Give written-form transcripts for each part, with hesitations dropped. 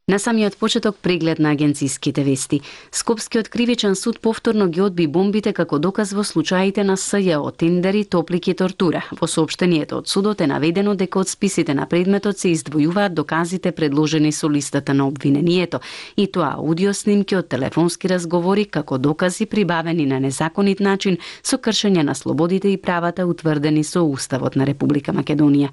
На самиот почеток преглед на агенциските вести. Скопскиот кривичен суд повторно ги одби бомбите како доказ во случаите на СЈО, тендери, топлик и тортура. Во соопштението од судот е наведено дека од списите на предметот се издвојуваат доказите предложени со листата на обвинението, и тоа аудио снимки од телефонски разговори како докази прибавени на незаконит начин со кршење на слободите и правата утврдени со Уставот на Република Македонија.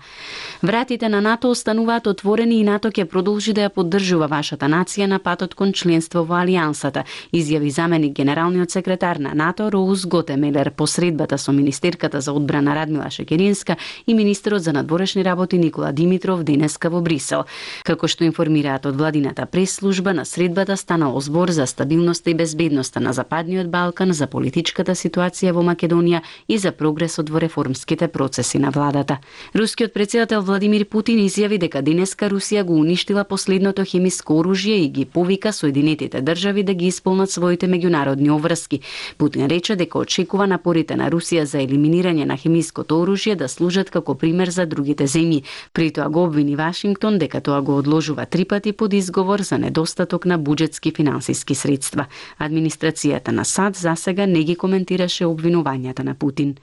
Вратите на НАТО остануваат отворени и НАТО ќе продолжи да ја поддржува вашата нација на патот кон членство во Алијансата, изјави заменик генералниот секретар на НАТО Роуз Готемелер по средбата со министерката за одбрана Радмила Шекеринска и министерот за надворешни работи Никола Димитров денеска во Брисел. Како што информираат од владината прес-служба, на средбата станало збор за стабилноста и безбедноста на Западниот Балкан, за политичката ситуација во Македонија и за прогресот во реформските процеси на владата. Рускиот претседател Владимир Путин изјави дека денеска Русија го уништила последното хемиско оружје и ги повика Соединетите држави да ги исполнат своите меѓународни обврски. Путин рече дека очекува напорите на Русија за елиминирање на хемиското оружје да служат како пример за другите земји. При тоа го обвини Вашингтон дека тоа го одложува 3 пати под изговор за недостаток на буџетски финансиски средства. Администрацијата на САД засега не ги коментираше обвинувањата на Путин.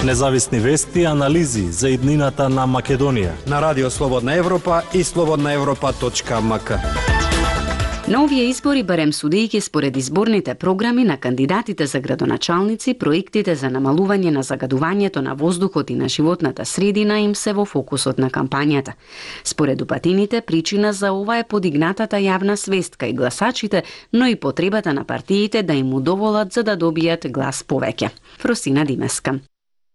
Независни вести и анализи за иднината на Македонија на Радио Слободна Европа и slobodnaevropa.mk. На овие избори, барем судејќи според изборните програми на кандидатите за градоначалници, проектите за намалување на загадувањето на воздухот и на животната средина им се во фокусот на кампањата. Според упатините, причина за ова е подигнатата јавна свест кај гласачите, но и потребата на партиите да им удоволат за да добијат глас повеќе. Фросина Димеска.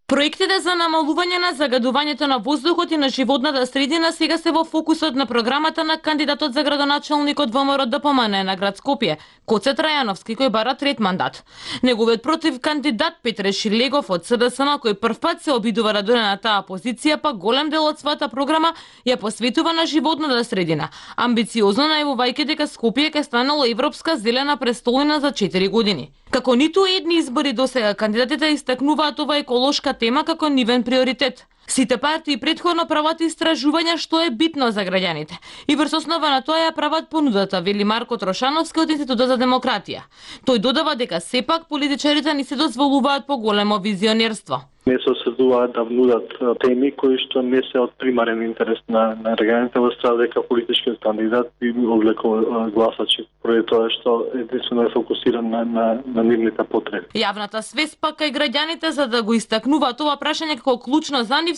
Проектите за намалување на загадувањето на воздухот и на животната средина сега се во фокусот на програмата на кандидатот за градоначалник од ВМРО ДПМН на град Скопје, Коце Трајановски, кој бара 3 мандат. Неговиот против кандидат Петре Шилегов од СДСМ, кој првпат се обидува да дојде на таа позиција, па голем дел од својата програма ја посветува на животната средина, амбициозно најавувајќи дека Скопје ќе станало европска зелена престолнина за 4 години. Како ниту едни избори досега, кандидатите истакнуваат ова еколошка тема како нивен приоритет. Сите партии претходно прават истражувања што е битно за граѓаните и врз основа на тоа ја прават понудата, вели Марко Трошановски од Институтот за демократија. Тој додава дека сепак политичарите не се дозволуваат поголемо визионерство. Не се осредуваат да внудат теми кои што не се од примарен интерес на граѓаните, во страна дека политичкиот кандидат би одвлекол гласачи, поради тоа што единствено е фокусиран на нивните потреби. Јавната свест пак кај граѓаните за да го истакнуваат ова прашање како клучно за нив